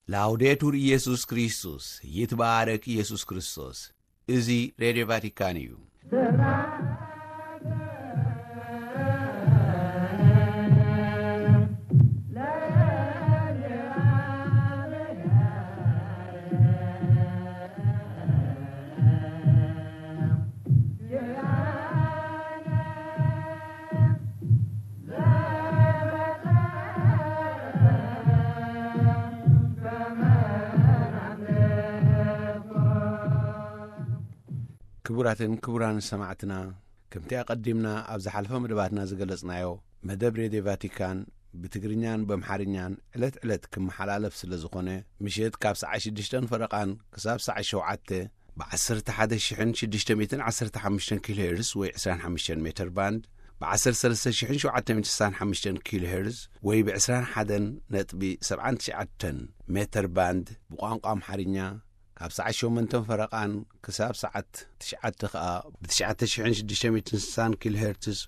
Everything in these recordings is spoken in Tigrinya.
ላውዴቱር ኢየሱስ ክርስቶስ፣ ይትባረክ ኢየሱስ ክርስቶስ። እዚ ሬድዮ ቫቲካን እዩ። ክቡራትን ክቡራን ሰማዕትና፣ ከምቲ ኣቐዲምና ኣብ ዝሓለፈ መደባትና ዝገለጽናዮ፣ መደብ ሬድዮ ቫቲካን ብትግርኛን በምሓርኛን ዕለት ዕለት ክመሓላለፍ ስለ ዝኾነ፣ ምሸት ካብ ሰዓት ሽዱሽተን ፈረቓን ክሳብ ሰዓት ሸውዓተ ብ11615 ኪሎ ሄርዝ ወይ 25 ሜትር ባንድ፣ ብ13765 ኪሎ ሄርዝ ወይ ብ21.79 ሜትር ባንድ ብቋንቋ ኣምሓርኛ፣ ካብ ሰዓት ሸሞንተ ፈረቓን ክሳብ ሰዓት ትሽዓተ ከኣ ብ9660 ኪሎ ሄርትዝ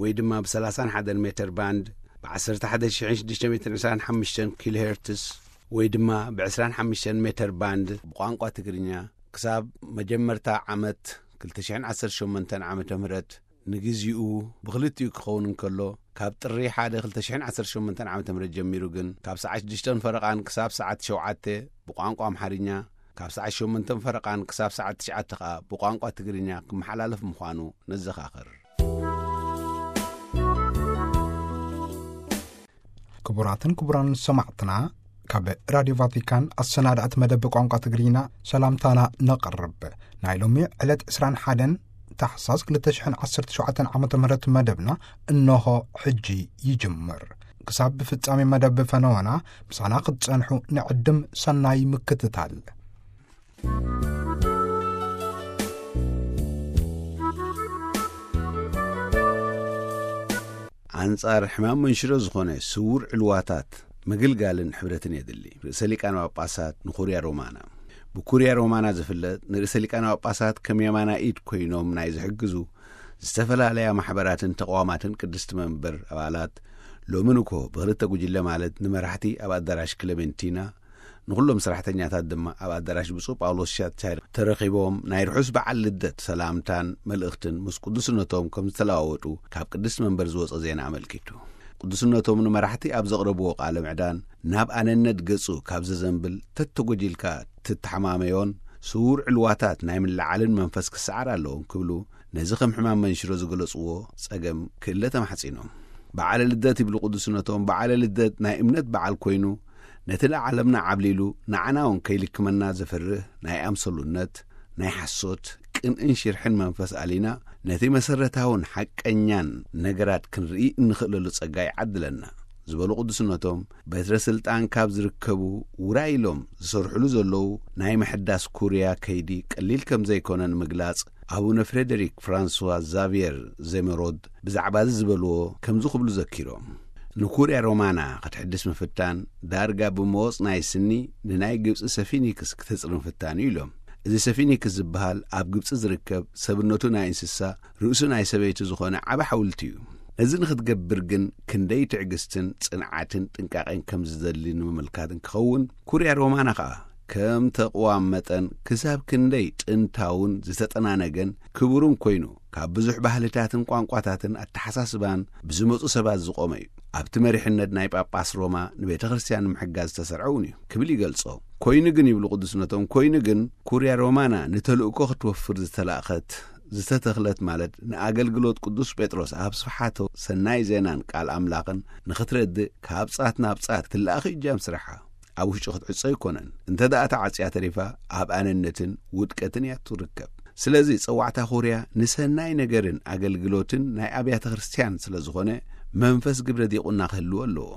ወይ ድማ ብ31 ሜትር ባንድ፣ ብ11625 ኪሎ ሄርትዝ ወይ ድማ ብ25 ሜትር ባንድ ብቋንቋ ትግርኛ፣ ክሳብ መጀመርታ ዓመት ክልተ ሽሕን ዓሰርተ ሸሞንተን ዓመተ ምህረት፣ ንግዚኡ ብኽልቲኡ ክኸውን እንከሎ፣ ካብ ጥሪ ሓደ ክልተ ሽሕን ዓሰርተ ሸሞንተን ዓመተ ምህረት ጀሚሩ ግን፣ ካብ ሰዓት ሽዱሽተ ፈረቓን ክሳብ ሰዓት ሸውዓተ ብቋንቋ ኣምሓርኛ፣ ካብ ሰዓት ሸሞንተ ፈረቓን ክሳብ ሰዓት ትሽዓተ ከኣ ብቋንቋ ትግርኛ ክመሓላለፍ ምዃኑ ነዘኻኽር። ክቡራትን ክቡራን ሰማዕትና፣ ካብ ራድዮ ቫቲካን ኣሰናዳእቲ መደብ ቋንቋ ትግርኛ ሰላምታና ነቕርብ። ናይ ሎሚ ዕለት ዕስራን ሓደን ታሕሳስ ክልተ ሽሕን ዓሰርተ ሸውዓተን ዓመተ ምህረት መደብና እንሆ ሕጂ ይጅምር። ክሳብ ብፍጻሜ መደብ ፈነወና ምሳና ክትጸንሑ ንዕድም። ሰናይ ምክትታል። ኣንጻር ሕማም መንሽሮ ዝኾነ ስውር ዕልዋታት ምግልጋልን ሕብረትን የድሊ። ርእሰ ሊቃነ ጳጳሳት ንኩርያ ሮማና። ብኩርያ ሮማና ዝፍለጥ ንርእሰ ሊቃነ ጳጳሳት ከም የማና ኢድ ኮይኖም ናይ ዝሕግዙ ዝተፈላለያ ማሕበራትን ተቋማትን ቅድስቲ መንበር ኣባላት፣ ሎሚ ንኮ ብኽልተ ጉጅለ ማለት ንመራሕቲ ኣብ ኣዳራሽ ክለሜንቲና፣ ንኹሎም ሰራሕተኛታት ድማ ኣብ ኣዳራሽ ብፁዕ ጳውሎስ ሻቻሪ ተረኺቦም ናይ ርሑስ በዓል ልደት ሰላምታን መልእኽትን ምስ ቅዱስነቶም ከም ዝተለዋወጡ ካብ ቅድስቲ መንበር ዝወጸ ዜና ኣመልኪቱ። ቅዱስነቶም ንመራሕቲ ኣብ ዘቕረብዎ ቃለ ምዕዳን፣ ናብ ኣነነት ገጹ ካብ ዘዘንብል ተተጎጂልካ ትተሓማመዮን ስውር ዕልዋታት ናይ ምልዓልን መንፈስ ክሰዓር ኣለዎም ክብሉ፣ ነዚ ከም ሕማም መንሽሮ ዝገለጽዎ ጸገም ክእለ ተማሕጺኖም። በዓለ ልደት ይብሉ ቅዱስነቶም፣ በዓለ ልደት ናይ እምነት በዓል ኮይኑ፣ ነቲ ንዓለምና ዓብሊሉ ንዓና እውን ከይልክመና ዘፍርህ ናይ ኣምሰሉነት፣ ናይ ሓሶት፣ ቅንእን ሽርሕን መንፈስ ኣሊና፣ ነቲ መሰረታውን ሓቀኛን ነገራት ክንርኢ እንኽእለሉ ጸጋ ይዓድለና ዝበሉ ቅዱስነቶም፣ በትረ ስልጣን ካብ ዝርከቡ ውራይ ኢሎም ዝሰርሕሉ ዘለዉ ናይ ምሕዳስ ኩርያ ከይዲ ቀሊል ከም ዘይኮነ ንምግላጽ፣ ኣቡነ ፍሬደሪክ ፍራንስዋ ዛቪየር ዜመሮድ ብዛዕባ እዚ ዝበልዎ ከምዚ ክብሉ ዘኪሮም። ንኩርያ ሮማና ክትሕድስ ምፍታን ዳርጋ ብመወጽ ናይ ስኒ ንናይ ግብጺ ሰፊኒክስ ክተጽሪ ምፍታን እዩ ኢሎም። እዚ ሰፊኒክስ ዝበሃል ኣብ ግብጺ ዝርከብ ሰብነቱ ናይ እንስሳ ርእሱ ናይ ሰበይቲ ዝኾነ ዓቢ ሓውልቲ እዩ። እዚ ንኽትገብር ግን ክንደይ ትዕግስትን ጽንዓትን ጥንቃቄን ከም ዝደሊ ንምምልካት እንክኸውን፣ ኩርያ ሮማና ኸኣ ከም ተቕዋም መጠን ክሳብ ክንደይ ጥንታውን ዝተጠናነገን ክቡርን ኮይኑ፣ ካብ ብዙሕ ባህልታትን ቋንቋታትን ኣተሓሳስባን ብዝመጹ ሰባት ዝቖመ እዩ። ኣብቲ መሪሕነት ናይ ጳጳስ ሮማ ንቤተ ክርስቲያን ንምሕጋዝ ዝተሰርዐ እውን እዩ ክብል ይገልጾ። ኮይኑ ግን ይብሉ ቅዱስነቶም፣ ኮይኑ ግን ኩርያ ሮማና ንተልእኮ ክትወፍር ዝተላእኸት፣ ዝተተኽለት ማለት ንኣገልግሎት ቅዱስ ጴጥሮስ ኣብ ስፍሓቶ ሰናይ ዜናን ቃል ኣምላኽን ንኽትረድእ ካብ ጻት ናብ ጻት ትለኣኽ እጃም ስራሓ። ኣብ ውሽጢ ክትዕጾ ኣይኮነን። እንተ ደኣ ተዓጽያ ተሪፋ ኣብ ኣነነትን ውድቀትን እያ ትርከብ። ስለዚ ጸዋዕታ ኩርያ ንሰናይ ነገርን ኣገልግሎትን ናይ ኣብያተ ክርስቲያን ስለ ዝኾነ መንፈስ ግብረ ዲቁና ክህልዎ ኣለዎ።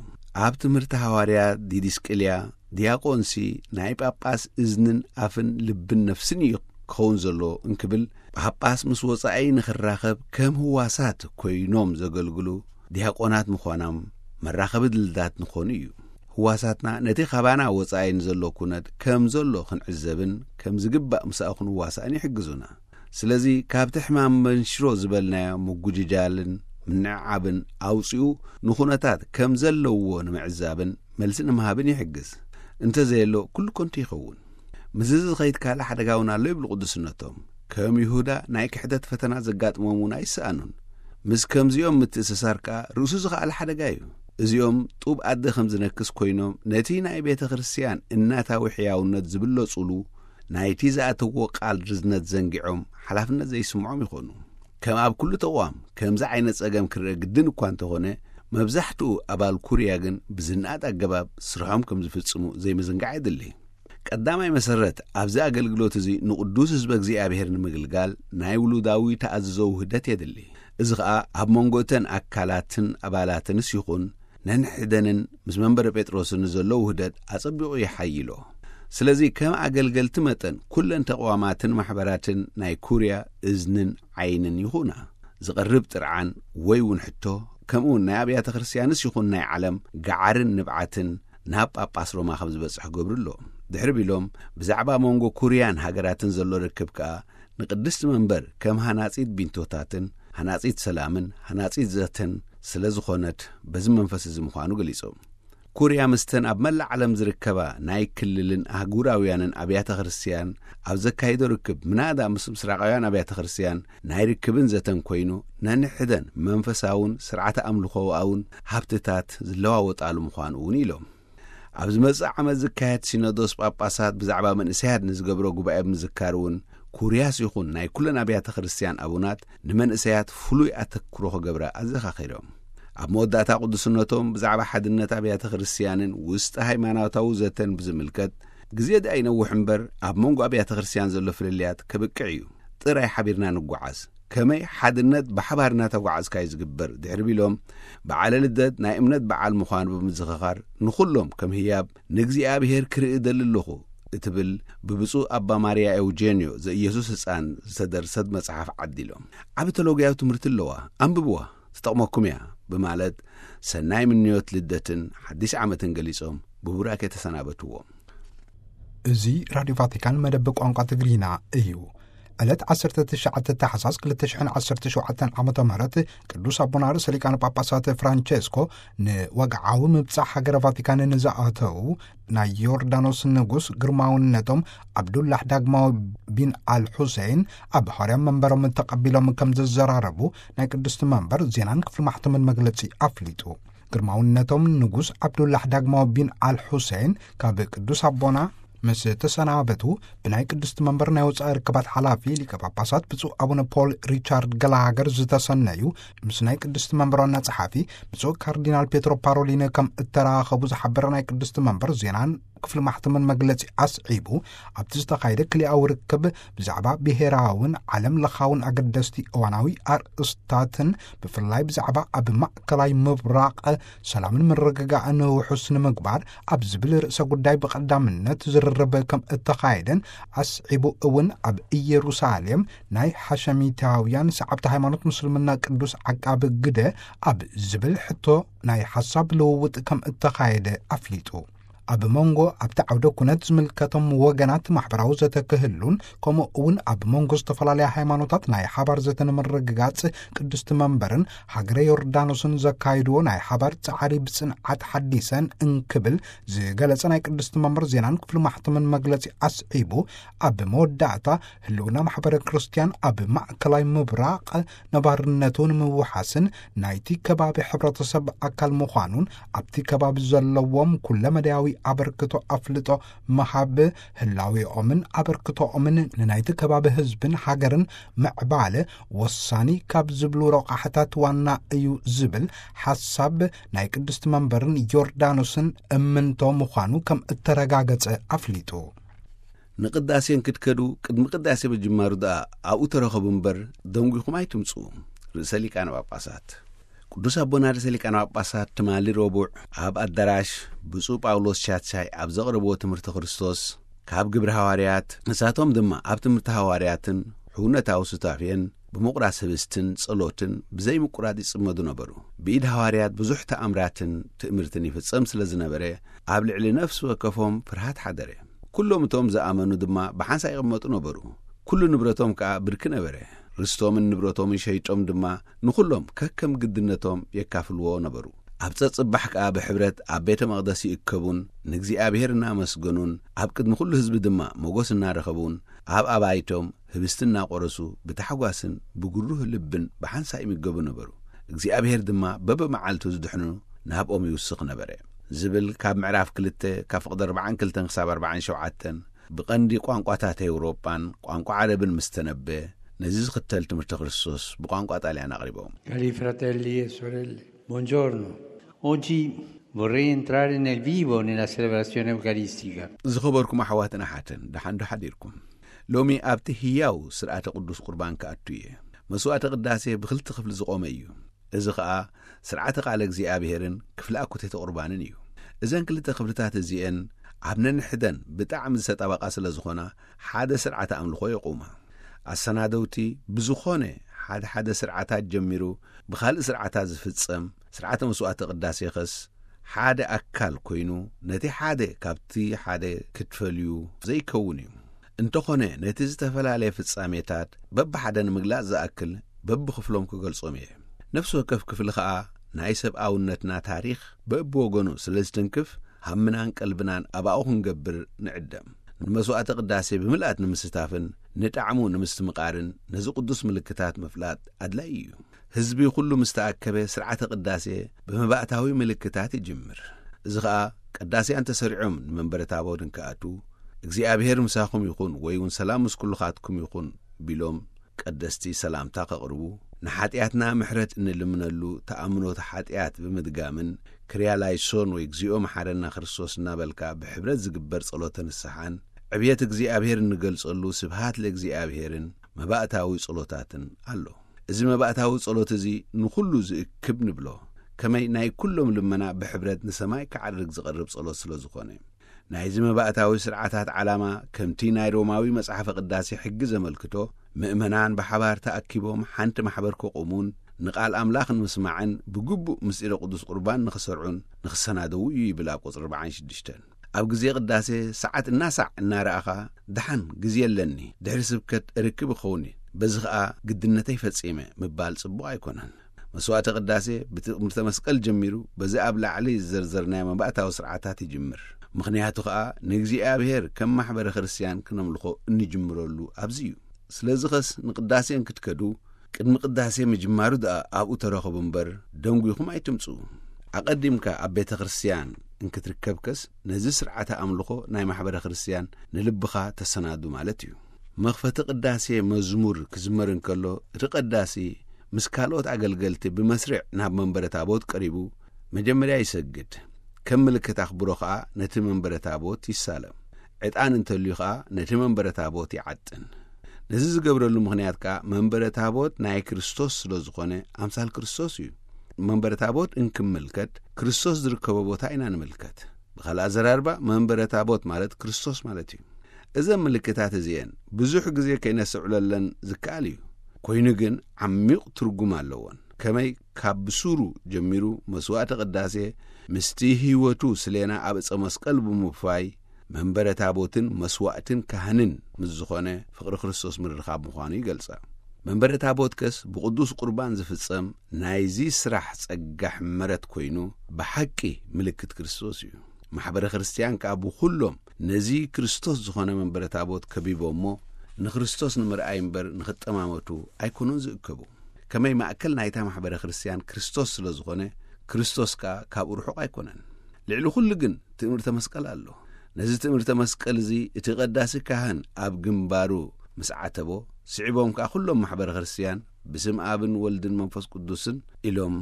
ኣብ ትምህርቲ ሃዋርያ ዲዲስቅልያ ዲያቆንሲ ናይ ጳጳስ እዝንን ኣፍን ልብን ነፍስን እዩ ክኸውን ዘሎ እንክብል፣ ጳጳስ ምስ ወጻኢ ንኽራኸብ ከም ህዋሳት ኮይኖም ዘገልግሉ ዲያቆናት ምዃኖም መራኸቢ ድልዳት ንኾኑ እዩ። ህዋሳትና ነቲ ካባና ወጻኢ ንዘሎ ኩነት ከም ዘሎ ክንዕዘብን ከም ዝግባእ ምሳኡ ክንዋሳእን ይሕግዙና። ስለዚ ካብቲ ሕማም መንሽሮ ዝበልናዮ ምጉጅጃልን ምንዕዓብን ኣውጺኡ ንኹነታት ከም ዘለውዎ ንምዕዛብን መልሲ ንምሃብን ይሕግዝ። እንተዘየሎ ኩሉ ከንቱ ይኸውን። ምስዚ ዝኸይድ ካልእ ሓደጋ እውን ኣሎ ይብሉ ቅዱስነቶም። ከም ይሁዳ ናይ ክሕደት ፈተና ዘጋጥሞም እውን ኣይሰኣኑን። ምስ ከምዚኦም ምትእስሳር ከኣ ርእሱ ዝኸኣለ ሓደጋ እዩ። እዚኦም ጡብ ኣደ ከም ዝነክስ ኮይኖም ነቲ ናይ ቤተ ክርስቲያን እናታዊ ሕያውነት ዝብለጹሉ ናይቲ ዝኣተዎ ቃል ርዝነት ዘንጊዖም ሓላፍነት ዘይስምዖም ይኾኑ። ከም ኣብ ኩሉ ተቋም ከምዚ ዓይነት ጸገም ክረአ ግድን እኳ እንተኾነ፣ መብዛሕትኡ ኣባል ኩርያ ግን ብዝነኣድ ኣገባብ ስርሖም ከም ዝፍጽሙ ዘይምዝንጋዕ የድሊ። ቀዳማይ መሰረት ኣብዚ ኣገልግሎት እዚ ንቕዱስ ህዝበ እግዚኣብሔር ንምግልጋል ናይ ውሉዳዊ ተኣዝዞ ውህደት የድሊ። እዚ ኸኣ ኣብ መንጎ እተን ኣካላትን ኣባላትንስ ይኹን ነንሕደንን ምስ መንበረ ጴጥሮስን ዘሎ ውህደት ኣጸቢቑ የሓይሎ። ስለዚ ከም ኣገልገልቲ መጠን ኩለን ተቋማትን ማሕበራትን ናይ ኩርያ እዝንን ዓይንን ይኹና። ዝቐርብ ጥርዓን ወይ እውን ሕቶ ከምኡ እውን ናይ ኣብያተ ክርስቲያንስ ይኹን ናይ ዓለም ገዓርን ንብዓትን ናብ ጳጳስ ሮማ ከም ዝበጽሕ ክገብሩ ኣሎ። ድሕሪ ቢሎም ብዛዕባ መንጎ ኩርያን ሃገራትን ዘሎ ርክብ ከኣ ንቅድስቲ መንበር ከም ሃናጺት ቢንቶታትን ሃናጺት ሰላምን ሃናጺት ዘተን ስለ ዝኾነት በዚ መንፈስ እዚ ምዃኑ ገሊጾም። ኩርያ ምስተን ኣብ መላእ ዓለም ዝርከባ ናይ ክልልን ኣህጉራውያንን ኣብያተ ክርስቲያን ኣብ ዘካይዶ ርክብ ምናዳ ምስ ምስራቃውያን ኣብያተ ክርስቲያን ናይ ርክብን ዘተን ኮይኑ ነንሕደን መንፈሳውን ስርዓተ ኣምልኾኣውን ሃብትታት ዝለዋወጣሉ ምዃኑ እውን ኢሎም። ኣብ ዝመጽእ ዓመት ዝካየድ ሲኖዶስ ጳጳሳት ብዛዕባ መንእሰያት ንዝገብሮ ጉባኤ ብምዝካር እውን ኩርያስ ይኹን ናይ ኩለን ኣብያተ ክርስቲያን ኣቡናት ንመንእሰያት ፍሉይ ኣተክሮ ክገብራ ኣዘኻኺሮም። ኣብ መወዳእታ ቅዱስነቶም ብዛዕባ ሓድነት ኣብያተ ክርስቲያንን ውስጢ ሃይማኖታዊ ዘተን ብዝምልከት ግዜ ደኣ ይነውሕ እምበር ኣብ መንጎ ኣብያተ ክርስቲያን ዘሎ ፍልልያት ከብቅዕ እዩ። ጥራይ ሓቢርና ንጓዓዝ። ከመይ ሓድነት ብሓባር እናተጓዓዝካ እዩ ዝግበር ድሕሪ ቢሎም በዓለ ልደት ናይ እምነት በዓል ምዃኑ ብምዝኽኻር ንኹሎም ከም ህያብ ንእግዚኣብሔር ክርኢ እደሊ ኣለኹ እትብል ብብፁዕ ኣባ ማርያ ኤውጄንዮ ዘኢየሱስ ህፃን ዝተደርሰት መጽሓፍ ዓዲሎም። ዓቢ ተሎግያዊ ትምህርቲ ኣለዋ፣ ኣንብብዋ፣ ትጠቕመኩም እያ ብማለት ሰናይ ምንዮት ልደትን ሓዲስ ዓመትን ገሊጾም ብቡራኬ ተሰናበትዎም። እዚ ራድዮ ቫቲካን መደብ ቋንቋ ትግርኛ እዩ። ዕለት ዓሰርተ ትሽዓተ ታሕሳስ ክልተ ሽሕን ዓሰርተ ሸውዓተን ዓመተ ምህረት ቅዱስ ኣቦና ርእሰ ሊቃነ ጳጳሳት ፍራንቸስኮ ንወግዓዊ ምብጻሕ ሃገረ ቫቲካን ንዝኣተዉ ናይ ዮርዳኖስ ንጉስ ግርማውነቶም ዓብዱላህ ዳግማዊ ቢን ኣል ሑሴን ኣብ ሃዋርያ መንበሮም ተቐቢሎም ከም ዘዘራረቡ ናይ ቅድስቲ መንበር ዜናን ክፍሊ ማሕተምን መግለጺ ኣፍሊጡ። ግርማውነቶም ንጉስ ዓብዱላህ ዳግማዊ ቢን ኣል ሑሴን ካብ ቅዱስ ኣቦና ምስ ተሰናበቱ ብናይ ቅድስቲ መንበር ናይ ወጻኢ ርክባት ሓላፊ ሊቀ ጳጳሳት ብፁዕ ኣቡነ ፖል ሪቻርድ ገላሃገር ዝተሰነዩ ምስ ናይ ቅድስቲ መንበር ዋና ጸሓፊ ብፁዕ ካርዲናል ፔትሮ ፓሮሊን ከም እተራኸቡ ዝሓበረ ናይ ቅድስቲ መንበር ዜናን ክፍሊ ማሕተምን መግለጺ ኣስዒቡ ኣብቲ ዝተኻየደ ክልኣዊ ርክብ ብዛዕባ ብሄራውን ዓለም ለኻውን ኣገደስቲ እዋናዊ ኣርእስታትን ብፍላይ ብዛዕባ ኣብ ማእከላይ ምብራቕ ሰላምን ምርግጋእን ውሑስ ንምግባር ኣብ ዝብል ርእሰ ጉዳይ ብቐዳምነት ዝርርብ ከም እተኻየደን ኣስዒቡ እውን ኣብ ኢየሩሳሌም ናይ ሓሸሚታውያን ሰዓብቲ ሃይማኖት ምስልምና ቅዱስ ዓቃቢ ግደ ኣብ ዝብል ሕቶ ናይ ሓሳብ ልውውጥ ከም እተኻየደ ኣፍሊጡ። ኣብ መንጎ ኣብቲ ዓውደ ኩነት ዝምልከቶም ወገናት ማሕበራዊ ዘተ ክህሉን ከምኡ እውን ኣብ መንጎ ዝተፈላለያ ሃይማኖታት ናይ ሓባር ዘተ ንምርግጋጽ ቅድስቲ መንበርን ሃገረ ዮርዳኖስን ዘካይድዎ ናይ ሓባር ጻዕሪ ብጽንዓት ሓዲሰን እንክብል ዝገለጸ ናይ ቅድስቲ መንበር ዜናን ክፍሊ ማሕተምን መግለጺ ኣስዒቡ ኣብ መወዳእታ ህልውና ማሕበረ ክርስቲያን ኣብ ማእከላይ ምብራቕ ነባርነቱ ንምውሓስን ናይቲ ከባቢ ሕብረተሰብ ኣካል ምዃኑን ኣብቲ ከባቢ ዘለዎም ኩለመዳያዊ ኣበርክቶ ኣፍልጦ ምሃብ ህላዌኦምን ኣበርክቶኦምን ንናይቲ ከባቢ ህዝብን ሃገርን ምዕባለ ወሳኒ ካብ ዝብሉ ረቋሕታት ዋና እዩ ዝብል ሓሳብ ናይ ቅድስቲ መንበርን ዮርዳኖስን እምንቶ ምዃኑ ከም እተረጋገጸ ኣፍሊጡ። ንቅዳሴ እንክትከዱ ቅድሚ ቅዳሴ ምጅማሩ ደኣ ኣብኡ ተረኸቡ እምበር ደንጒኹም ኣይትምጽኡ። ርእሰ ሊቃነ ጳጳሳት ቅዱስ ኣቦና ርእሰ ሊቃነ ጳጳሳት ትማሊ ረቡዕ ኣብ ኣዳራሽ ብፁዕ ጳውሎስ ቻቻይ ኣብ ዘቕረብዎ ትምህርቲ ክርስቶስ ካብ ግብሪ ሃዋርያት ንሳቶም ድማ ኣብ ትምህርቲ ሃዋርያትን ሕውነታዊ ሱታፌን ብምቑራስ ህብስትን ጸሎትን ብዘይምቁራጽ ይጽመዱ ነበሩ። ብኢድ ሃዋርያት ብዙሕ ተኣምራትን ትእምርትን ይፍጸም ስለ ዝነበረ ኣብ ልዕሊ ነፍሲ ወከፎም ፍርሃት ሓደረ። ኩሎም እቶም ዝኣመኑ ድማ ብሓንሳእ ይቕመጡ ነበሩ። ኩሉ ንብረቶም ከኣ ብርኪ ነበረ። ርስቶምን ንብረቶምን ሸይጦም ድማ ንኹሎም ከከም ግድነቶም የካፍልዎ ነበሩ። ኣብ ጸጽባሕ ከኣ ብሕብረት ኣብ ቤተ መቕደስ ይእከቡን ንእግዚኣብሔር እናመስገኑን ኣብ ቅድሚ ኩሉ ህዝቢ ድማ ሞጎስ እናረኸቡን ኣብ ኣባይቶም ህብስቲ እናቖረሱ ብታሕጓስን ብጉሩህ ልብን ብሓንሳእ ይምገቡ ነበሩ። እግዚኣብሔር ድማ በብመዓልቱ ዝድሕኑ ናብኦም ይውስኽ ነበረ። ዝብል ካብ ምዕራፍ ክልተ ካብ ፍቕዲ ኣርባዓን ክልተን ክሳብ ኣርባዓን ሸውዓተን ብቐንዲ ቋንቋታት ኤውሮጳን ቋንቋ ዓረብን ምስ ተነበ፣ ነዚ ዝኽተል ትምህርቲ ክርስቶስ ብቋንቋ ጣልያን ኣቕሪቦም። Cari fratelli e sorelle, buongiorno. Oggi vorrei entrare nel vivo nella celebrazione eucaristica. ዝኸበርኩም ኣሕዋትን ኣሓትን፣ ደሓን ዶ ሓዲርኩም? ሎሚ ኣብቲ ህያው ስርዓተ ቅዱስ ቁርባን ክኣቱ እየ። መስዋዕተ ቅዳሴ ብኽልተ ክፍሊ ዝቖመ እዩ። እዚ ኸኣ ስርዓተ ቃለ እግዚኣብሔርን ክፍሊ ኣኩቴተ ቁርባንን እዩ። እዘን ክልተ ክፍልታት እዚኤን ኣብ ነንሕደን ብጣዕሚ ዝተጣበቓ ስለ ዝኾና፣ ሓደ ስርዓተ ኣምልኾ የቑማ። ኣሰናደውቲ ብዝኾነ ሓደ ሓደ ስርዓታት ጀሚሩ ብኻልእ ስርዓታት ዝፍጸም ስርዓተ መስዋዕተ ቅዳሴ ኸስ ሓደ ኣካል ኮይኑ፣ ነቲ ሓደ ካብቲ ሓደ ክትፈልዩ ዘይከውን እዩ። እንተኾነ፣ ነቲ ዝተፈላለየ ፍጻሜታት በብሓደ ንምግላጽ ዝኣክል በብኽፍሎም ክገልጾም እየ። ነፍሲ ወከፍ ክፍሊ ኸኣ ናይ ሰብኣውነትና ታሪኽ በብወገኑ ስለ ዝትንክፍ፣ ሃምናን ቀልብናን ኣባኡ ክንገብር ንዕደም። ንመስዋዕተ ቅዳሴ ብምልኣት ንምስታፍን ንጣዕሙ ንምስትምቓርን ነዚ ቅዱስ ምልክታት ምፍላጥ ኣድላዪ እዩ። ህዝቢ ኩሉ ምስ ተኣከበ፣ ስርዓተ ቅዳሴ ብመባእታዊ ምልክታት ይጅምር። እዚ ኸኣ፣ ቀዳስያን ተሰሪዖም ንመንበረ ታቦት እንክኣትዉ፣ እግዚኣብሔር ምሳኹም ይኹን ወይ እውን ሰላም ምስ ኩልኻትኩም ይኹን ቢሎም ቀደስቲ ሰላምታ ከቕርቡ፣ ንሓጢኣትና ምሕረት እንልምነሉ ተኣምኖተ ሓጢኣት ብምድጋምን ክርያ ላይሶን ወይ እግዚኦ መሓረና ክርስቶስ እናበልካ ብሕብረት ዝግበር ጸሎተ ንስሓን ዕብየት እግዚኣብሔር እንገልጸሉ ስብሃት ለእግዚኣብሔርን መባእታዊ ጸሎታትን ኣሎ። እዚ መባእታዊ ጸሎት እዚ ንኹሉ ዝእክብ ንብሎ። ከመይ ናይ ኩሎም ልመና ብሕብረት ንሰማይ ክዓርግ ዝቐርብ ጸሎት ስለ ዝኾነ። ናይዚ መባእታዊ ስርዓታት ዓላማ ከምቲ ናይ ሮማዊ መጽሓፈ ቅዳሴ ሕጊ ዘመልክቶ፣ ምእመናን ብሓባር ተኣኪቦም ሓንቲ ማሕበር ከቑሙን ንቓል ኣምላኽ ንምስማዕን ብግቡእ ምስጢረ ቅዱስ ቁርባን ንኽሰርዑን ንኽሰናደዉ እዩ ይብል ኣብ ቁጽሪ ኣርባዓን ሽዱሽተን። ኣብ ግዜ ቅዳሴ ሰዓት እናሳዕ እናረኣኻ፣ ደሓን ግዜ ኣለኒ፣ ድሕሪ ስብከት እርክብ እኸውን እየ፣ በዚ ኸኣ ግድነተይ ፈጺመ ምባል ጽቡቕ ኣይኮነን። መስዋዕተ ቅዳሴ ብትእምርተ መስቀል ጀሚሩ በዚ ኣብ ላዕሊ ዝዘርዘርናዮ መባእታዊ ስርዓታት ይጅምር። ምኽንያቱ ኸኣ ንእግዚኣብሔር ከም ማሕበረ ክርስትያን ክነምልኾ እንጅምረሉ ኣብዚ እዩ። ስለዚ ኸስ ንቅዳሴ እንክትከዱ ቅድሚ ቅዳሴ ምጅማሩ ደኣ ኣብኡ ተረኸቡ እምበር ደንጒኹም ኣይትምጽኡ። ኣቐዲምካ ኣብ ቤተ ክርስትያን እንክትርከብከስ ነዚ ስርዓተ ኣምልኾ ናይ ማሕበረ ክርስትያን ንልብኻ ተሰናዱ ማለት እዩ። መኽፈቲ ቅዳሴ መዝሙር ክዝመር እንከሎ እቲ ቀዳሲ ምስ ካልኦት ኣገልገልቲ ብመስርዕ ናብ መንበረ ታቦት ቀሪቡ መጀመርያ ይሰግድ። ከም ምልክት ኣኽብሮ ኸኣ ነቲ መንበረ ታቦት ይሳለም። ዕጣን እንተልዩ ኸኣ ነቲ መንበረ ታቦት ይዓጥን። ነዚ ዝገብረሉ ምኽንያት ከኣ መንበረ ታቦት ናይ ክርስቶስ ስለ ዝኾነ ኣምሳል ክርስቶስ እዩ። መንበረ ታቦት እንክምልከት ክርስቶስ ዝርከቦ ቦታ ኢና ንምልከት። ብኻልእ ኣዘራርባ መንበረ ታቦት ማለት ክርስቶስ ማለት እዩ። እዘን ምልክታት እዚኤን ብዙሕ ግዜ ከይነስተውዕለለን ዝከኣል እዩ። ኮይኑ ግን ዓሚቕ ትርጉም ኣለዎን። ከመይ ካብ ብሱሩ ጀሚሩ መስዋዕተ ቅዳሴ ምስቲ ህይወቱ ስሌና ኣብ ዕፀ መስቀል ብምውፋይ መንበረ ታቦትን መስዋዕትን ካህንን ምስ ዝኾነ ፍቕሪ ክርስቶስ ምርኻብ ምዃኑ ይገልጻ። መንበረ ታቦት ከስ ብቕዱስ ቁርባን ዝፍጸም ናይዚ ስራሕ ጸጋ ሕመረት ኮይኑ ብሓቂ ምልክት ክርስቶስ እዩ። ማሕበረ ክርስትያን ከኣ ብኹሎም ነዚ ክርስቶስ ዝኾነ መንበረ ታቦት ከቢቦሞ ንክርስቶስ ንምርኣይ እምበር ንኽጠማመቱ ኣይኮኑን ዝእከቡ። ከመይ ማእከል ናይታ ማሕበረ ክርስትያን ክርስቶስ ስለ ዝኾነ ክርስቶስ ከኣ ካብኡ ርሑቕ ኣይኮነን። ልዕሊ ኩሉ ግን ትእምርተ መስቀል ኣሎ። ነዚ ትእምርተ መስቀል እዚ እቲ ቀዳሲ ካህን ኣብ ግንባሩ ምስ ዓተቦ፣ ስዒቦም ከኣ ኩሎም ማሕበረ ክርስትያን ብስም ኣብን ወልድን መንፈስ ቅዱስን ኢሎም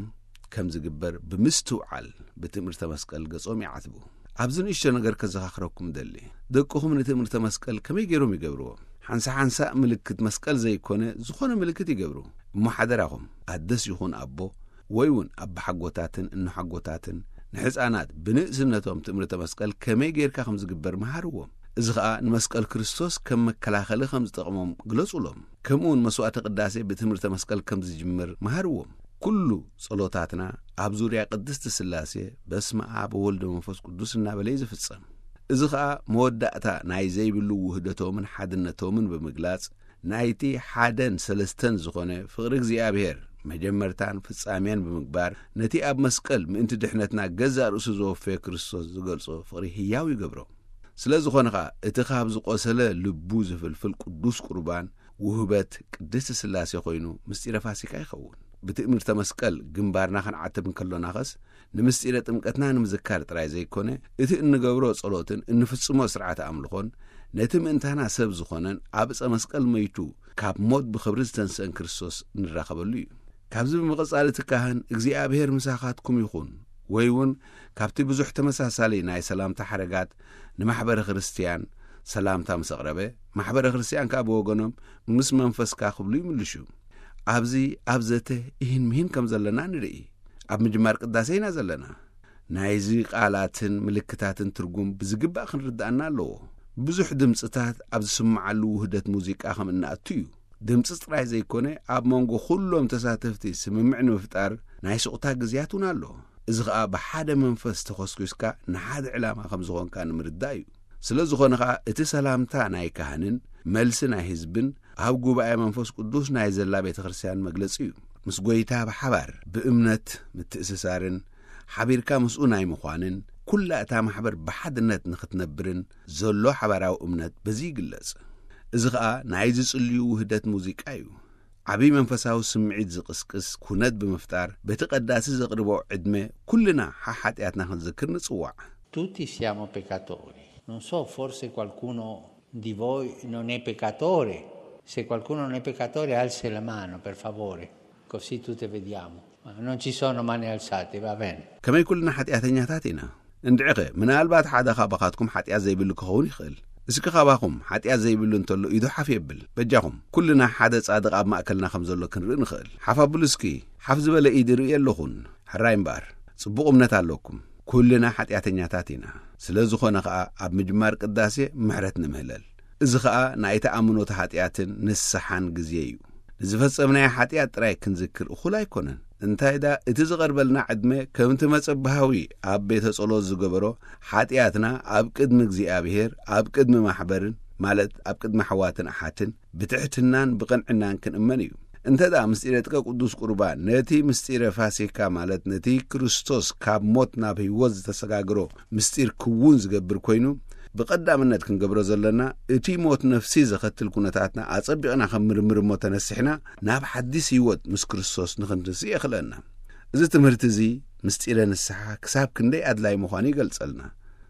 ከም ዝግበር ብምስትውዓል ብትእምርተ መስቀል ገጾም ይዓትቡ። ኣብዚ ንእሽቶ ነገር ከዘኻኽረኩም ደሊ። ደቅኹም ንትእምርተ መስቀል ከመይ ገይሮም ይገብርዎ? ሓንሳ ሓንሳ ምልክት መስቀል ዘይኮነ ዝኾነ ምልክት ይገብሩ። እሞ ሓደራኹም ኣደስ ይኹን ኣቦ ወይ እውን ኣባሓጎታትን እኖሓጎታትን ንሕፃናት ብንእስነቶም ትእምርተ መስቀል ከመይ ጌርካ ከም ዝግበር መሃርዎም። እዚ ኸኣ ንመስቀል ክርስቶስ ከም መከላኸሊ ከም ዝጠቕሞም ግለጹሎም። ከምኡ እውን መስዋዕተ ቅዳሴ ብትእምርተ መስቀል ከም ዝጅምር መሃርዎም። ኩሉ ጸሎታትና ኣብ ዙርያ ቅድስቲ ስላሴ በስመ ኣብ ወወልድ ወመንፈስ ቅዱስ እናበለ እዩ ዝፍጸም። እዚ ኸኣ መወዳእታ ናይ ዘይብሉ ውህደቶምን ሓድነቶምን ብምግላጽ ናይቲ ሓደን ሰለስተን ዝኾነ ፍቕሪ እግዚኣብሔር መጀመርታን ፍጻሜን ብምግባር፣ ነቲ ኣብ መስቀል ምእንቲ ድሕነትና ገዛእ ርእሱ ዘወፈየ ክርስቶስ ዝገልጾ ፍቕሪ ህያው ይገብሮ። ስለ ዝኾነ ኸኣ፣ እቲ ካብ ዝቖሰለ ልቡ ዝፍልፍል ቅዱስ ቁርባን ውህበት ቅድስቲ ሥላሴ ኮይኑ፣ ምስጢረ ፋሲካ ይኸውን። ብትእምርተ መስቀል ግንባርና ክንዓትብ እንከሎናኸስ፣ ንምስጢረ ጥምቀትና ንምዝካር ጥራይ ዘይኮነ፣ እቲ እንገብሮ ጸሎትን እንፍጽሞ ሥርዓተ ኣምልኾን፣ ነቲ ምእንታና ሰብ ዝኾነን ኣብ ዕፀ መስቀል መይቱ ካብ ሞት ብኽብሪ ዝተንስአን ክርስቶስ እንራኸበሉ እዩ። ካብዚ ብምቕጻል እቲ ካህን፣ እግዚኣብሔር ምሳኻትኩም ይኹን፣ ወይ እውን ካብቲ ብዙሕ ተመሳሳሊ ናይ ሰላምታ ሓረጋት ንማሕበረ ክርስትያን ሰላምታ ምስ ኣቕረበ፣ ማሕበረ ክርስትያን ከኣ ብወገኖም ምስ መንፈስካ ክብሉ ይምልሹ። ኣብዚ ኣብ ዘተ ይህን ምሂን ከም ዘለና ንርኢ። ኣብ ምጅማር ቅዳሴ ኢና ዘለና። ናይዚ ቃላትን ምልክታትን ትርጉም ብዝግባእ ክንርድኣና ኣለዎ። ብዙሕ ድምጽታት ኣብ ዝስምዓሉ ውህደት ሙዚቃ ከም እንኣቱ እዩ። ድምጺ ጥራይ ዘይኮነ፣ ኣብ መንጎ ኩሎም ተሳተፍቲ ስምምዕ ንምፍጣር ናይ ስቕታ ግዜያት እውን ኣሎ። እዚ ኸኣ ብሓደ መንፈስ ተኾስኲስካ ንሓደ ዕላማ ከም ዝኾንካ ንምርዳእ እዩ። ስለ ዝኾነ ኸኣ፣ እቲ ሰላምታ ናይ ካህንን መልሲ ናይ ህዝብን ኣብ ጉባኤ መንፈስ ቅዱስ ናይ ዘላ ቤተ ክርስቲያን መግለጺ እዩ። ምስ ጐይታ ብሓባር ብእምነት ምትእስሳርን ሓቢርካ ምስኡ ናይ ምዃንን፣ ኩላ እታ ማሕበር ብሓድነት ንኽትነብርን ዘሎ ሓባራዊ እምነት በዚ ይግለጽ። እዚ ኸኣ ናይ ዝጽልዩ ውህደት ሙዚቃ እዩ። ዓቢ መንፈሳዊ ስምዒት ዝቕስቅስ ኩነት ብምፍጣር፣ በቲ ቀዳሲ ዘቕርቦ ዕድመ ኩልና ሓሓጢኣትና ክንዝክር ንጽዋዕ። Tutti siamo peccatori. Non so, forse qualcuno di voi non è peccatore. Se qualcuno non è peccatore, alzi la mano, per favore. Così tutte vediamo. Ma non ci sono mani alzate, va bene. ከመይ ኩልና ሓጢኣተኛታት ኢና። እንድዒኸ፣ ምናልባት ሓደ ካባኻትኩም ሓጢኣት ዘይብሉ ክኸውን ይኽእል። እስኪ ካባኹም ሓጢኣት ዘይብሉ እንተሎ ኢዱ ሓፍ የብል። በጃኹም፣ ኩልና ሓደ ጻድቕ ኣብ ማእከልና ከም ዘሎ ክንርኢ ንኽእል። ሓፍ ኣብሉ እስኪ። ሓፍ ዝበለ ኢድ ርኢ ኣለኹን። ሕራይ እምበኣር፣ ጽቡቕ እምነት ኣለኩም። ኩልና ሓጢኣተኛታት ኢና። ስለ ዝኾነ ኸኣ፣ ኣብ ምጅማር ቅዳሴ ምሕረት ንምህለል። እዚ ኸኣ ናይ ተኣምኖተ ሓጢኣትን ንስሓን ግዜ እዩ። ንዝፈጸምናዮ ሓጢኣት ጥራይ ክንዝክር እኹል ኣይኮነን። እንታይ ደኣ፣ እቲ ዝቐርበልና ዕድመ ከምቲ መጸብሃዊ ኣብ ቤተ ጸሎት ዝገበሮ፣ ሓጢኣትና ኣብ ቅድሚ እግዚኣብሔር፣ ኣብ ቅድሚ ማሕበርን፣ ማለት ኣብ ቅድሚ ኣሕዋትን ኣሓትን፣ ብትሕትናን ብቕንዕናን ክንእመን እዩ። እንተ ደኣ ምስጢረ ጥቀ ቅዱስ ቁርባን ነቲ ምስጢረ ፋሲካ፣ ማለት ነቲ ክርስቶስ ካብ ሞት ናብ ህይወት ዝተሰጋግሮ ምስጢር ክውን ዝገብር ኮይኑ፣ ብቐዳምነት ክንገብሮ ዘለና፣ እቲ ሞት ነፍሲ ዘኸትል ኩነታትና ኣጸቢቕና ከም ምርምር እሞ ተነሲሕና፣ ናብ ሓዲስ ህይወት ምስ ክርስቶስ ንኽንትንስእ የኽእለና። እዚ ትምህርቲ እዚ ምስጢረ ንስሓ ክሳብ ክንደይ ኣድላይ ምዃኑ ይገልጸልና።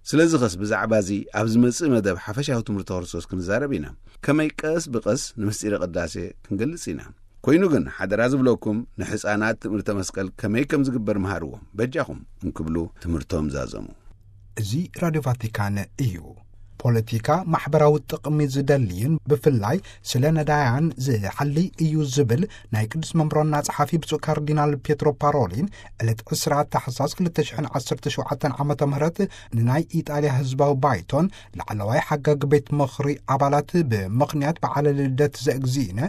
ስለዚ ኸስ ብዛዕባ እዚ ኣብ ዝመጽእ መደብ ሓፈሻዊ ትምህርቲ ክርስቶስ ክንዛረብ ኢና። ከመይ ቀስ ብቐስ ንምስጢረ ቅዳሴ ክንገልጽ ኢና። ኮይኑ ግን ሓደራ ዝብለኩም ንሕፃናት ትምህርተ መስቀል ከመይ ከም ዝግበር መሃርዎም በጃኹም እንክብሉ ትምህርቶም ዛዘሙ። እዚ ራድዮ ቫቲካን እዩ። ፖለቲካ ማሕበራዊ ጥቕሚ ዝደልይን ብፍላይ ስለ ነዳያን ዝሓሊ እዩ ዝብል ናይ ቅዱስ መምሮና ጸሓፊ ብፁዕ ካርዲናል ፔትሮ ፓሮሊን ዕለት ዕስራ ታሕሳስ ክልተ ሽሕን ዓሰርተ ሸውዓተን ዓመተ ምህረት ንናይ ኢጣልያ ህዝባዊ ባይቶን ላዕለዋይ ሓጋግ ቤት ምኽሪ ኣባላት ብምኽንያት በዓለ ልደት ዘእግዚእነ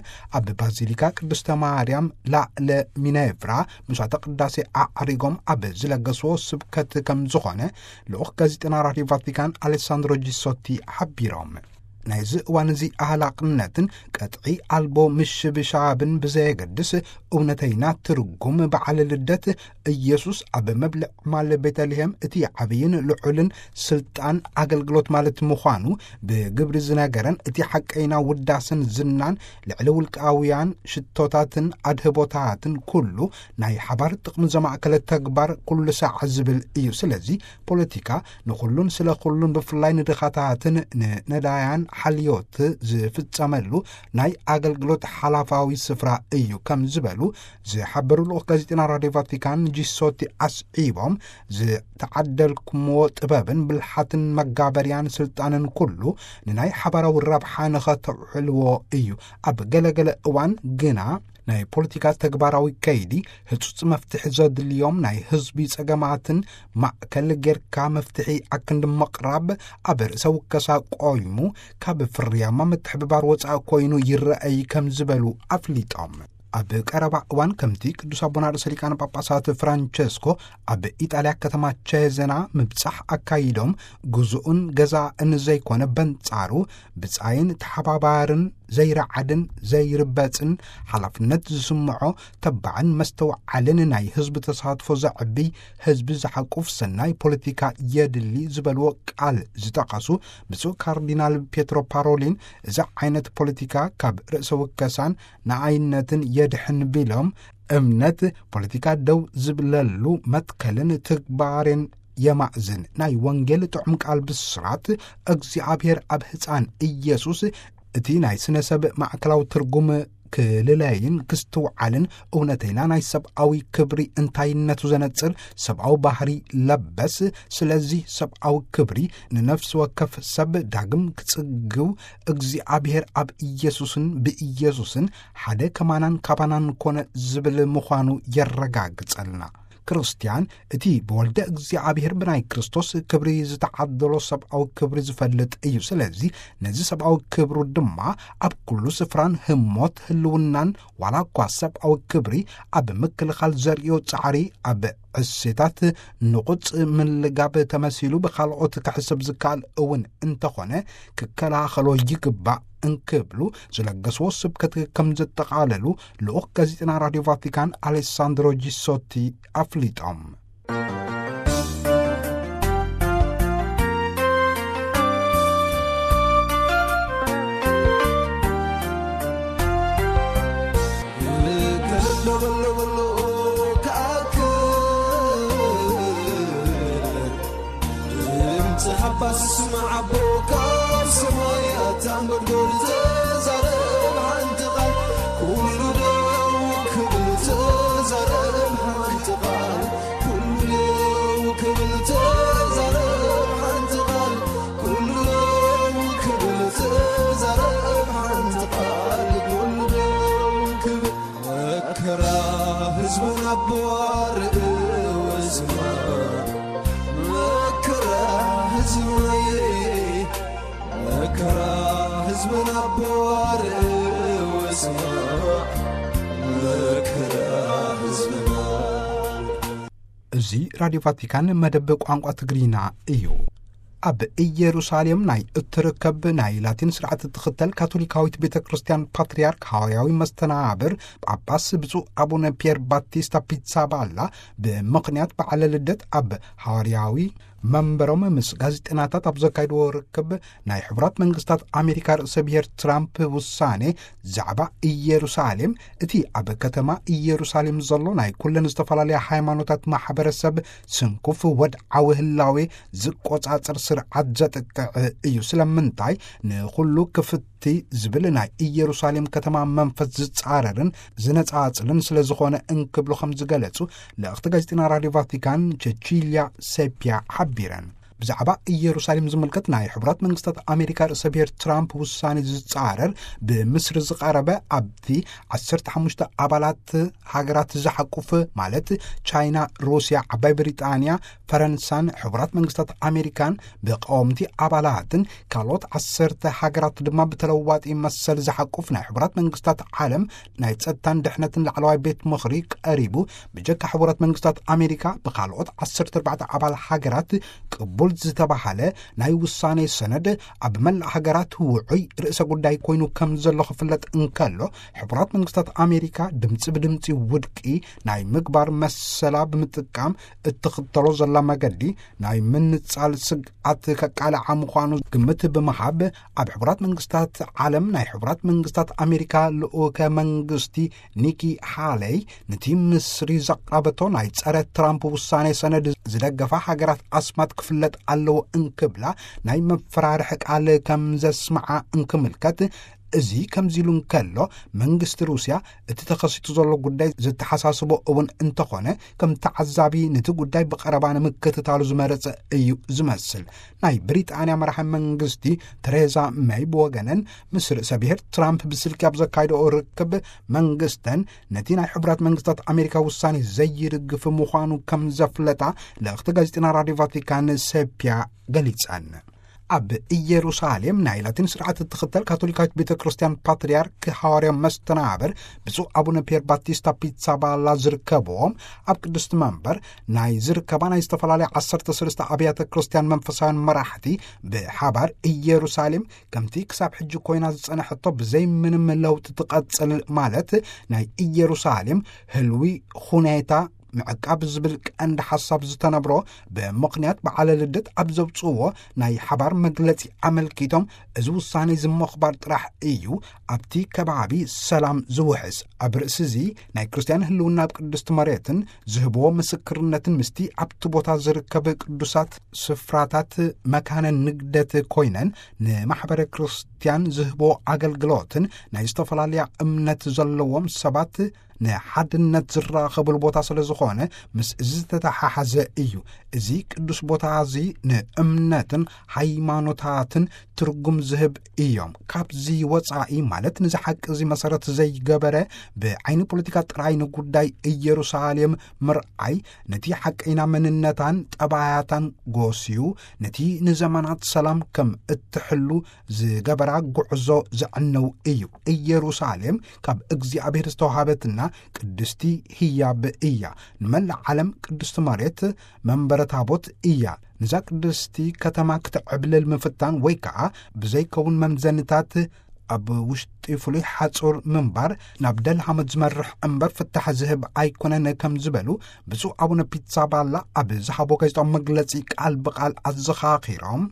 ኣብ ባዚሊካ ቅድስተ ማርያም ላዕለ ሚኔቭራ ምስዋዕተ ቅዳሴ ኣዕሪጎም ኣብ ዝለገስዎ ስብከት ከም ዝኾነ ልኡኽ ጋዜጠና ራድዮ ቫቲካን ኣሌሳንድሮ ጂሶቲ ሓቢሮም። ናይዚ እዋን እዚ ኣህላቕነትን ቀጥዒ ኣልቦ ምሽብሻብን ብዘየገድስ እውነተይና ትርጉም በዓለ ልደት ኢየሱስ ኣብ መብልዕ ማል ቤተልሔም እቲ ዓብይን ልዑልን ስልጣን ኣገልግሎት ማለት ምዃኑ ብግብሪ ዝነገረን እቲ ሓቀይና ውዳስን ዝናን ልዕሊ ውልቃውያን ሽቶታትን ኣድህቦታትን ኩሉ ናይ ሓባር ጥቕሚ ዘማእከለ ተግባር ኩሉ ሳዕ ዝብል እዩ። ስለዚ ፖለቲካ ንኹሉን ስለ ኩሉን ብፍላይ ንድኻታትን ንነዳያን ሓልዮት ዝፍጸመሉ ናይ ኣገልግሎት ሓላፋዊ ስፍራ እዩ ከም ዝበሉ ዝሓበሩ ልኡኽ ጋዜጠና ራድዮ ቫቲካን ጂሶቲ ኣስዒቦም ዝተዓደልኩምዎ ጥበብን ብልሓትን መጋበርያን ስልጣንን ኩሉ ንናይ ሓባራዊ ረብሓ ንኸተውዕልዎ እዩ። ኣብ ገለገለ እዋን ግና ናይ ፖለቲካ ተግባራዊ ከይዲ ህጹጽ መፍትሒ ዘድልዮም ናይ ህዝቢ ጸገማትን ማእከል ጌርካ መፍትሒ ኣክንዲ ምቕራብ ኣብ ርእሰ ውከሳ ቆይሙ ካብ ፍርያማ ምትሕብባር ወጻኢ ኮይኑ ይረኣይ ከም ዝበሉ ኣፍሊጦም። ኣብ ቀረባ እዋን ከምቲ ቅዱስ ኣቦና ርእሰ ሊቃነ ጳጳሳት ፍራንቸስኮ ኣብ ኢጣልያ ከተማ ቼዘና ምብጻሕ ኣካይዶም ግዙኡን ገዛእን ዘይኮነ በንጻሩ ብጻይን ተሓባባርን ዘይረዓድን ዘይርበጽን ሓላፍነት ዝስምዖ ተባዕን መስተውዓልን ናይ ህዝቢ ተሳትፎ ዘዕቢ ህዝቢ ዝሓቁፍ ሰናይ ፖለቲካ የድሊ ዝበልዎ ቃል ዝጠቐሱ ብፁዕ ካርዲናል ፔትሮ ፓሮሊን፣ እዚ ዓይነት ፖለቲካ ካብ ርእሰ ውከሳን ንኣይነትን የድሕን ቢሎም፣ እምነት ፖለቲካ ደው ዝብለሉ መትከልን ትግባሬን የማእዝን። ናይ ወንጌል ጥዑም ቃል ብስራት እግዚኣብሔር ኣብ ህፃን ኢየሱስ እቲ ናይ ስነ ሰብ ማዕከላዊ ትርጉም ክልለይን ክስትውዓልን እውነተይና ናይ ሰብኣዊ ክብሪ እንታይነቱ ዘነጽር ሰብኣዊ ባህሪ ለበስ። ስለዚህ ሰብኣዊ ክብሪ ንነፍሲ ወከፍ ሰብ ዳግም ክጽግው እግዚኣብሔር ኣብ ኢየሱስን ብኢየሱስን ሓደ ከማናን ካባናን ኮነ ዝብል ምዃኑ የረጋግጸልና። ክርስትያን እቲ ብወልደ እግዚኣብሔር ብናይ ክርስቶስ ክብሪ ዝተዓደሎ ሰብኣዊ ክብሪ ዝፈልጥ እዩ። ስለዚ ነዚ ሰብኣዊ ክብሩ ድማ ኣብ ኩሉ ስፍራን ህሞት ህልውናን ዋላ እኳ ሰብኣዊ ክብሪ ኣብ ምክልኻል ዘርእዮ ጻዕሪ ኣብ ዕሴታት ንቑጽ ምልጋብ ተመሲሉ ብኻልኦት ክሕሰብ ዝከኣል እውን እንተኾነ ክከላኸሎ ይግባእ እንክብሉ ዝለገስዎ ስብከት ከም ዘጠቓለሉ ልኡኽ ጋዜጠና ራድዮ ቫቲካን ኣሌሳንድሮ ጂሶቲ ኣፍሊጦም። ድምፂ ሓባስ ስማዕ ኣቦ ካብ ሰማያት ኣንጎድጎድ ተዛረብ ሓንቲ ቃል ኩሉ ደው ክብል ተዛረብ ሓንቲ ቃል ኩሉ ደው ክብል ተዛረብ ሓንቲ ቃል ኩሉ ደው ክብል ተዛረብ ሓንቲ ቃል ኩሉ ደው ክብል መከራ ህዝብና ኣቦ ኣርእወ ዝማ መከራ ህዝብና መከራ ህዝብና ኣቦ ኣርእወ ዝማ መከራ ህዝብና። እዚ ራድዮ ቫቲካን መደብ ቋንቋ ትግርኛ እዩ። ኣብ ኢየሩሳሌም ናይ እትርከብ ናይ ላቲን ስርዓት እትኽተል ካቶሊካዊት ቤተ ክርስቲያን ፓትርያርክ ሃዋርያዊ መስተናብር ጳጳስ ብፁዕ ኣቡነ ፒየር ባቲስታ ፒትሳባላ ብምኽንያት በዓለ ልደት ኣብ ሃዋርያዊ መንበሮም ምስ ጋዜጠናታት ኣብ ዘካይድዎ ርክብ ናይ ሕቡራት መንግስታት ኣሜሪካ ርእሰ ብሔር ትራምፕ ውሳኔ ዛዕባ ኢየሩሳሌም እቲ ኣብ ከተማ ኢየሩሳሌም ዘሎ ናይ ኩለን ዝተፈላለያ ሃይማኖታት ማሕበረሰብ ስንኩፍ ወድዓዊ ህላዌ ዝቆጻጸር ስርዓት ዘጥቅዕ እዩ። ስለምንታይ ንኹሉ ክፍቲ ዝብል ናይ ኢየሩሳሌም ከተማ መንፈስ ዝጻረርን ዝነጻጽልን ስለ ዝኾነ እንክብሉ ከም ዝገለጹ ልእኽቲ ጋዜጠና ራድዮ ቫቲካን ቸቺልያ ሴፒያ ሓቢረን። ብዛዕባ ኢየሩሳሌም ዝምልከት ናይ ሕቡራት መንግስታት ኣሜሪካ ርእሰ ብሔር ትራምፕ ውሳኔ ዝጻረር ብምስሪ ዝቐረበ ኣብቲ ዓሰርተ ሓሙሽተ ኣባላት ሃገራት ዝሓቁፍ ማለት ቻይና፣ ሩስያ፣ ዓባይ ብሪጣንያ፣ ፈረንሳን ሕቡራት መንግስታት ኣሜሪካን ብቀወምቲ ኣባላትን ካልኦት ዓሰርተ ሃገራት ድማ ብተለዋጢ መሰል ዝሓቁፍ ናይ ሕቡራት መንግስታት ዓለም ናይ ጸጥታን ድሕነትን ላዕለዋይ ቤት ምኽሪ ቀሪቡ ብጀካ ሕቡራት መንግስታት ኣሜሪካ ብካልኦት ዓሰርተ ኣርባዕተ ኣባል ሃገራት ቅቡል ዝተባሃለ ናይ ውሳኔ ሰነድ ኣብ መላእ ሃገራት ውዑይ ርእሰ ጉዳይ ኮይኑ ከም ዘሎ ክፍለጥ እንከሎ ሕቡራት መንግስታት ኣሜሪካ ድምፂ ብድምፂ ውድቂ ናይ ምግባር መሰላ ብምጥቃም እትኽተሎ ዘላ መገዲ ናይ ምንጻል ስግኣት ከቃልዓ ምዃኑ ግምት ብምሃብ ኣብ ሕቡራት መንግስታት ዓለም ናይ ሕቡራት መንግስታት ኣሜሪካ ልኡከ መንግስቲ ኒኪ ሃለይ ነቲ ምስሪ ዘቕረበቶ ናይ ጸረ ትራምፕ ውሳኔ ሰነድ ዝደገፋ ሃገራት ኣስማት ክፍለጥ ኣለዎ እንክብላ ናይ መፈራርሒ ቃል ከም ዘስምዓ እንክምልከት እዚ ከምዚ ኢሉ እንከሎ መንግስቲ ሩስያ እቲ ተኸሲቱ ዘሎ ጉዳይ ዝተሓሳስቦ እውን እንተኾነ ከም ተዓዛቢ ነቲ ጉዳይ ብቐረባ ንምክትታሉ ዝመረጸ እዩ ዝመስል። ናይ ብሪጣንያ መራሒ መንግስቲ ተሬዛ መይ ብወገነን ምስ ርእሰ ብሔር ትራምፕ ብስልኪ ኣብ ዘካይደኦ ርክብ መንግስተን ነቲ ናይ ሕቡራት መንግስታት ኣሜሪካ ውሳኔ ዘይድግፍ ምዃኑ ከም ዘፍለጣ ልእኽቲ ጋዜጠና ራድዮ ቫቲካን ሴፒያ ገሊጸን። ኣብ ኢየሩሳሌም ናይ ላቲን ስርዓት እትኽተል ካቶሊካዊት ቤተ ክርስቲያን ፓትርያርክ ሃዋርያ መስተናብር ብፁዕ ኣቡነ ፒየር ባቲስታ ፒትሳባላ ዝርከብዎም፣ ኣብ ቅድስቲ መንበር ናይ ዝርከባ ናይ ዝተፈላለያ ዓሰርተ ሰለስተ ኣብያተ ክርስቲያን መንፈሳውያን መራሕቲ ብሓባር ኢየሩሳሌም ከምቲ ክሳብ ሕጂ ኮይና ዝጸንሐቶ ብዘይ ምንም ለውጢ ትቐጽል ማለት ናይ ኢየሩሳሌም ህልዊ ሁኔታ ምዕቃብ ዝብል ቀንዲ ሓሳብ ዝተነብሮ ብምኽንያት በዓለ ልደት ኣብ ዘውፅዎ ናይ ሓባር መግለፂ ኣመልኪቶም፣ እዚ ውሳኔ እዚ ምኽባር ጥራሕ እዩ ኣብቲ ከባቢ ሰላም ዝውሕስ። ኣብ ርእሲ እዚ ናይ ክርስትያን ህልውና ኣብ ቅድስቲ መሬትን ዝህብዎ ምስክርነትን ምስቲ ኣብቲ ቦታ ዝርከብ ቅዱሳት ስፍራታት መካነ ንግደት ኮይነን ንማሕበረ ክርስትያን ዝህቦ ኣገልግሎትን ናይ ዝተፈላለያ እምነት ዘለዎም ሰባት ንሓድነት ዝራኸብሉ ቦታ ስለ ዝኾነ ምስ እዚ ዝተተሓሓዘ እዩ። እዚ ቅዱስ ቦታ እዚ ንእምነትን ሃይማኖታትን ትርጉም ዝህብ እዮም። ካብዚ ወጻኢ ማለት ንዚ ሓቂ እዚ መሰረት ዘይገበረ ብዓይኒ ፖለቲካ ጥራይ ንጉዳይ ኢየሩሳሌም ምርኣይ ነቲ ሓቀይና መንነታን ጠባያታን ጎስዩ ነቲ ንዘመናት ሰላም ከም እትሕሉ ዝገበራ ጉዕዞ ዘዕንው እዩ። ኢየሩሳሌም ካብ እግዚኣብሔር ዝተዋሃበትና ቅድስቲ ህያብ እያ። ንመላእ ዓለም ቅድስቲ መሬት መንበረ ታቦት እያ። ንዛ ቅድስቲ ከተማ ክትዕብልል ምፍታን ወይ ከዓ ብዘይከውን መምዘንታት ኣብ ውሽጢ ፍሉይ ሓጹር ምንባር ናብ ደልሃመት ዝመርሕ እምበር ፍታሕ ዝህብ ኣይኮነን ከም ዝበሉ ብፁዕ ኣቡነ ፒትሳባላ ኣብ ዝሃቦ ጋዜጣዊ መግለጺ ቃል ብቃል ኣዘኻኺሮም፣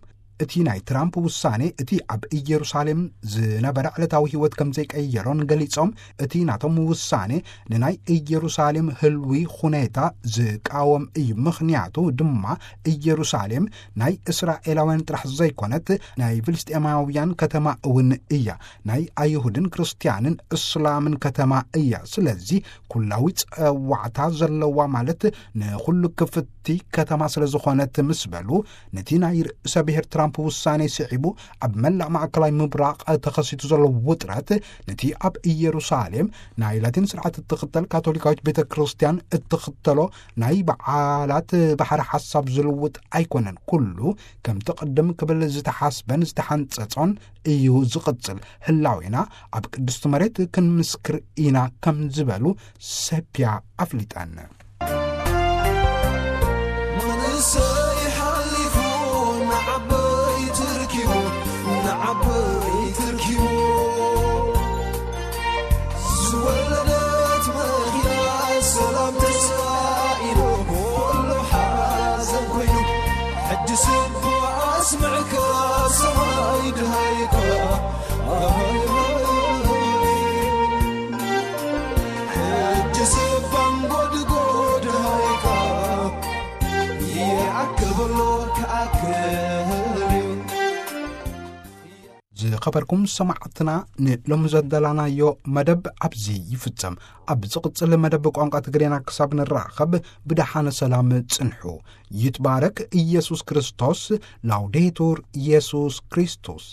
እቲ ናይ ትራምፕ ውሳኔ እቲ ኣብ ኢየሩሳሌም ዝነበረ ዕለታዊ ህይወት ከም ዘይቀየሮን ገሊጾም፣ እቲ ናቶም ውሳኔ ንናይ ኢየሩሳሌም ህልዊ ሁኔታ ዝቃወም እዩ። ምኽንያቱ ድማ ኢየሩሳሌም ናይ እስራኤላውያን ጥራሕ ዘይኮነት፣ ናይ ፍልስጤማውያን ከተማ እውን እያ። ናይ ኣይሁድን ክርስትያንን እስላምን ከተማ እያ። ስለዚ ኩላዊ ጸዋዕታ ዘለዋ ማለት ንኹሉ ክፍቲ ከተማ ስለ ዝኾነት ምስ በሉ፣ ነቲ ናይ ርእሰ ብሔር ትራምፕ ውሳኔ ስዒቡ ኣብ መላእ ማእከላይ ምብራቕ ተኸሲቱ ዘሎ ውጥረት፣ ነቲ ኣብ ኢየሩሳሌም ናይ ላቲን ስርዓት እትኽተል ካቶሊካዊት ቤተ ክርስቲያን እትኽተሎ ናይ በዓላት ባሕሪ ሓሳብ ዝልውጥ ኣይኮነን። ኩሉ ከምቲ ቅድም ክብል ዝተሓስበን ዝተሓንጸጾን እዩ ዝቕጽል። ህላዌና ኣብ ቅድስቲ መሬት ክንምስክር ኢና ከም ዝበሉ ሰብያ ኣፍሊጠን። መንእሰይ ሓሊፉ ንዓበይቲ ርኪቡ፣ ንዓበይቲ ርኪቡ። ዝወለደት መኪና ሰላም ተሳኢሉ፣ ኩሉ ሓዘን ኮይኑ። ሕጂ ስቡ ኣስምዕካ ሰማይ ድሃይካ። ሕጂ ስባን ጎድጎድ ሃይካ። ይኣክል በሎ ክኣክል እዩ። ዝኸበርኩም ሰማዕትና፣ ንሎሚ ዘደላናዮ መደብ ኣብዚ ይፍጸም። ኣብ ዝቕጽል መደብ ቋንቋ ትግሬና ክሳብ ንራኸብ ብደሓነ ሰላም ጽንሑ። ይትባረክ ኢየሱስ ክርስቶስ። ላውዴቱር ኢየሱስ ክርስቶስ።